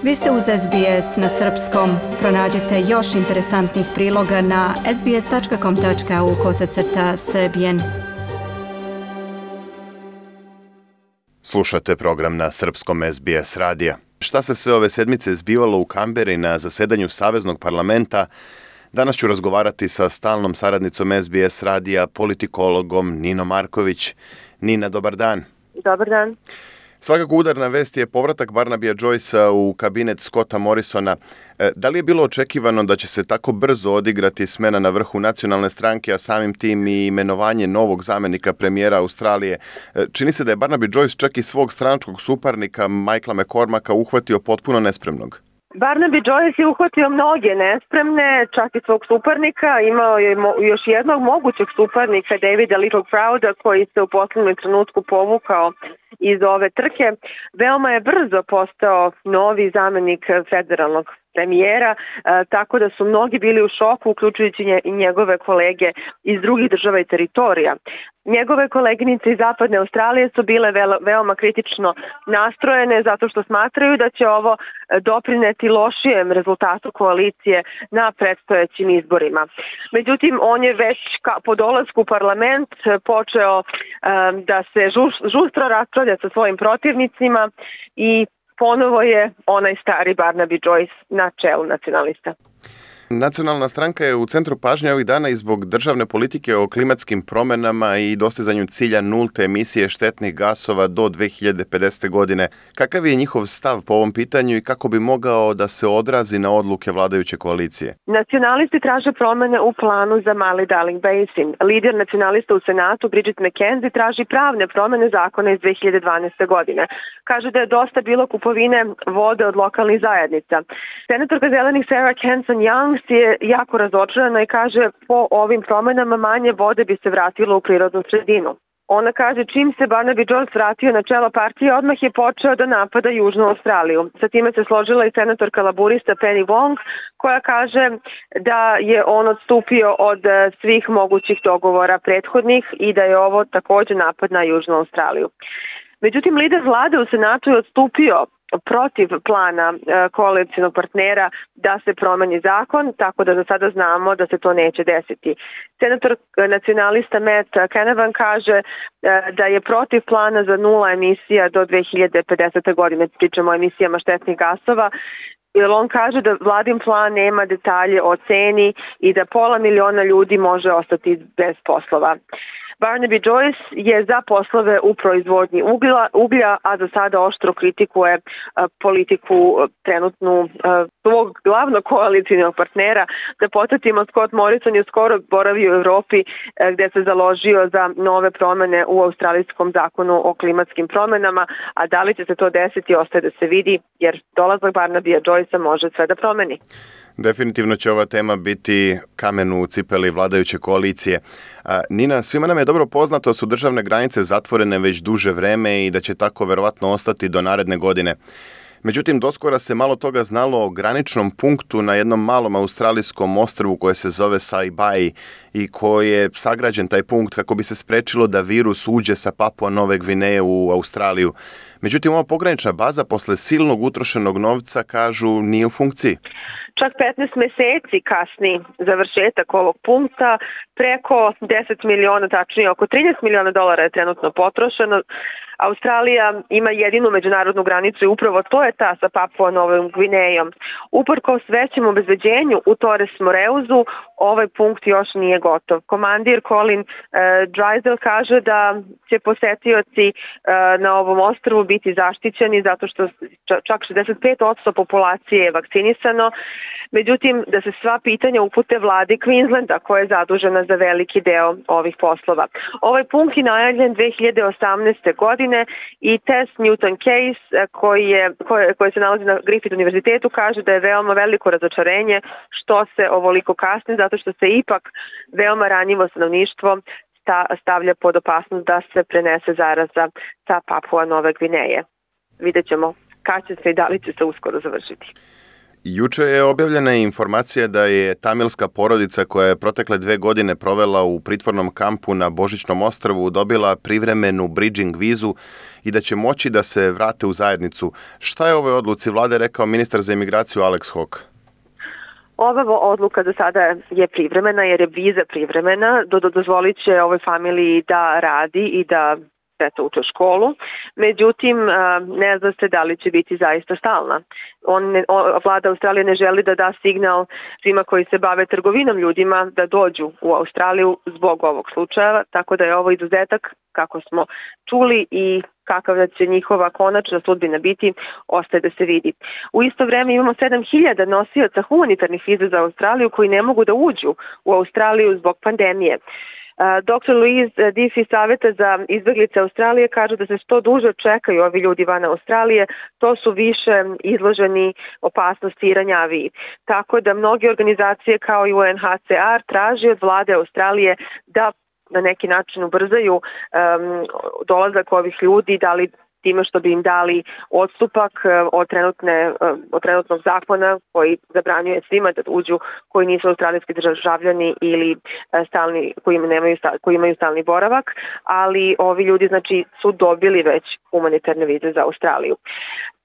Vi ste uz SBS na srpskom. Pronađite još interesantnih priloga na sbs.com.au/srbijen. Slušate program na srpskom SBS radija. Šta se sve ove sedmice zbivalo u Kamberi na zasedanju Saveznog parlamenta? Danas ću razgovarati sa stalnom saradnicom SBS radija, politikologom Ninom Marković. Nina, dobar dan. Dobar dan. Svakako udarna vest je povratak Barnabya Joycea u kabinet Scotta Morrisona. Da li je bilo očekivano da će se tako brzo odigrati smena na vrhu nacionalne stranke, a samim tim i imenovanje novog zamenika premijera Australije? Čini se da je Barnaby Joyce čak i svog stranačkog suparnika Michaela McCormacka uhvatio potpuno nespremnog. Barnaby Joyce je uhvatio mnoge nespremne, čak i svog suparnika. Imao je još jednog mogućeg suparnika, Davida Littleprouda, koji se u poslednjem trenutku povukao iz ove trke. Veoma je brzo postao novi zamenik federalnog premijera, tako da su mnogi bili u šoku, uključujući i njegove kolege iz drugih država i teritorija. Njegove koleginice iz Zapadne Australije su bile veoma kritično nastrojene zato što smatraju da će ovo doprineti lošijem rezultatu koalicije na predstojećim izborima. Međutim, on je već po dolasku u parlament počeo da se žustro raspravlja sa svojim protivnicima i ponovo je onaj stari Barnaby Joyce na čelu nacionalista. Nacionalna stranka je u centru pažnje ovih dana i zbog državne politike o klimatskim promenama i dostizanju cilja nulte emisije štetnih gasova do 2050. godine. Kakav je njihov stav po ovom pitanju i kako bi mogao da se odrazi na odluke vladajuće koalicije? Nacionalisti traže promene u planu za Mali Darling Basin. Lider nacionalista u Senatu, Bridget McKenzie, traži pravne promene zakona iz 2012. godine. Kaže da je dosta bilo kupovine vode od lokalnih zajednica. Senatorka zelenih Sarah Hanson-Young je jako razočarana i kaže po ovim promenama manje vode bi se vratilo u prirodnu sredinu. Ona kaže čim se Barnaby Joyce vratio na čelo partije, odmah je počeo da napada Južnu Australiju. Sa time se složila i senatorka laburista Penny Wong, koja kaže da je on odstupio od svih mogućih dogovora prethodnih i da je ovo također napad na Južnu Australiju. Međutim, lider vlade u Senatu je odstupio protiv plana koalicionog partnera da se promeni zakon, tako da za sada znamo da se to neće desiti. Senator nacionalista Matt Canavan kaže da je protiv plana za nula emisija do 2050. godine, pričamo o emisijama štetnih gasova, jer on kaže da vladin plan nema detalje o ceni i da 500.000 ljudi može ostati bez poslova. Barnaby Joyce je za poslove u proizvodnji uglja, a za sada oštro kritikuje politiku trenutnu svog glavnog koalicijnog partnera. Da podsjetimo, Scott Morrison je skoro boravio u Evropi gde se založio za nove promene u australijskom zakonu o klimatskim promenama, a da li će se to desiti ostaje da se vidi, jer dolazak Barnabyja Joycea može sve da promeni. Definitivno će ova tema biti kamen u cipeli vladajuće koalicije. Nina, svima nam je dobro poznato da su državne granice zatvorene već duže vreme i da će tako verovatno ostati do naredne godine. Međutim, doskora se malo toga znalo o graničnom punktu na jednom malom australijskom ostrvu koje se zove Saibai i koji je sagrađen taj punkt kako bi se sprečilo da virus uđe sa Papua Nove Gvineje u Australiju. Međutim, ova pogranična baza posle silnog utrošenog novca, kažu, nije u funkciji. Čak 15 meseci kasni završetak ovog punkta, preko 10 miliona, tačnije oko 13 miliona dolara je trenutno potrošeno. Australija ima jedinu međunarodnu granicu i upravo to je ta sa Papua Novom Gvinejom. Uprkos većem obezbeđenju u Torres Moreuzu, ovaj punkt još nije gotov. Komandir Colin Drysdale kaže da će posetioci na ovom ostrvu biti zaštićeni zato što čak 65% populacije je vakcinisano. Međutim, da se sva pitanja upute vladi Queenslanda koja je zadužena za veliki deo ovih poslova. Ovaj punkt je najavljen 2018. godine i test Newton Case koji se nalazi na Griffith univerzitetu kaže da je veoma veliko razočarenje što se ovoliko kasni zato što se ipak veoma ranjivo stanovništvo stavlja pod opasnost da se prenese zaraza sa Papua Nove Gvineje. Vidjet ćemo kad će se i da li će se uskoro završiti. Juče je objavljena informacija da je tamilska porodica koja je protekle 2 godine provela u pritvornom kampu na Božićnom ostrvu dobila privremenu bridging vizu i da će moći da se vrate u zajednicu. Šta je o ovoj odluci vlade rekao ministar za imigraciju Alex Hawke? Ova odluka za sada je privremena jer je viza privremena, dozvolit će ovoj familiji da radi i da uče školu, međutim ne zna se da li će biti zaista stalna. Vlada Australije ne želi da da signal svima koji se bave trgovinom ljudima da dođu u Australiju zbog ovog slučaja, tako da je ovo izuzetak kako smo čuli i kakav da će njihova konačna sudbina biti, ostaje da se vidi. U isto vreme imamo 7.000 nosioca humanitarnih viza za Australiju koji ne mogu da uđu u Australiju zbog pandemije. Dr. Louise Diffie iz Saveta za izbeglice Australije kaže da se što duže čekaju ovi ljudi van Australije, to su više izloženi opasnosti i ranjaviji. Tako da mnoge organizacije kao i UNHCR traži od vlade Australije da na neki način ubrzaju dolazak ovih ljudi, da li time što bi im dali odstupak od trenutnog zakona koji zabranjuje svima da uđu koji nisu australijski državljani ili koji imaju stalni boravak, ali ovi ljudi znači su dobili već humanitarne vize za Australiju.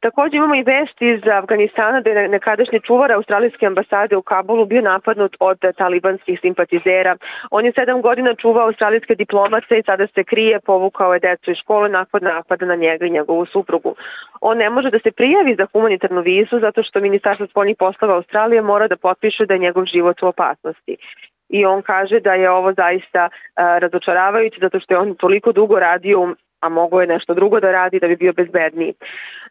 Također imamo i vesti iz Afganistana da je nekadašnji čuvar australijske ambasade u Kabulu bio napadnut od talibanskih simpatizera. On je 7 godina čuvao australijske diplomate i sada se krije, povukao je decu iz škole nakon napada na njega i njegovu suprugu. On ne može da se prijavi za humanitarnu vizu zato što Ministarstvo spoljnih poslova Australije mora da potpiše da je njegov život u opasnosti. I on kaže da je ovo zaista razočaravajuće zato što je on toliko dugo radio, a mogo je nešto drugo da radi da bi bio bezbedniji.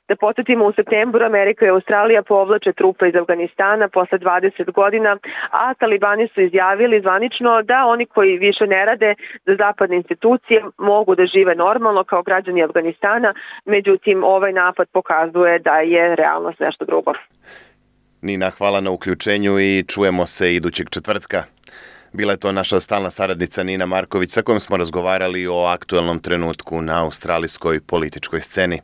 Da podsjetimo, u septembru Amerika i Australija povlače trupe iz Afganistana posle 20 godina, a talibani su izjavili zvanično da oni koji više ne rade za zapadne institucije mogu da žive normalno kao građani Afganistana, međutim ovaj napad pokazuje da je realnost nešto drugo. Nina, hvala na uključenju i čujemo se idućeg četvrtka. Bila je to naša stalna saradnica Nina Marković sa kojom smo razgovarali o aktuelnom trenutku na australijskoj političkoj sceni.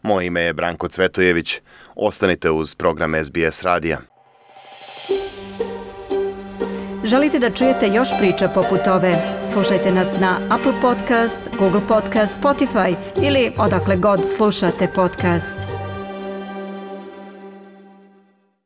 Moje ime je Branko Cvetojević. Ostanite uz program SBS radija. Želite da čujete još priča poput ove? Slušajte nas na Apple Podcast, Google Podcast, Spotify ili odakle god slušate podcast.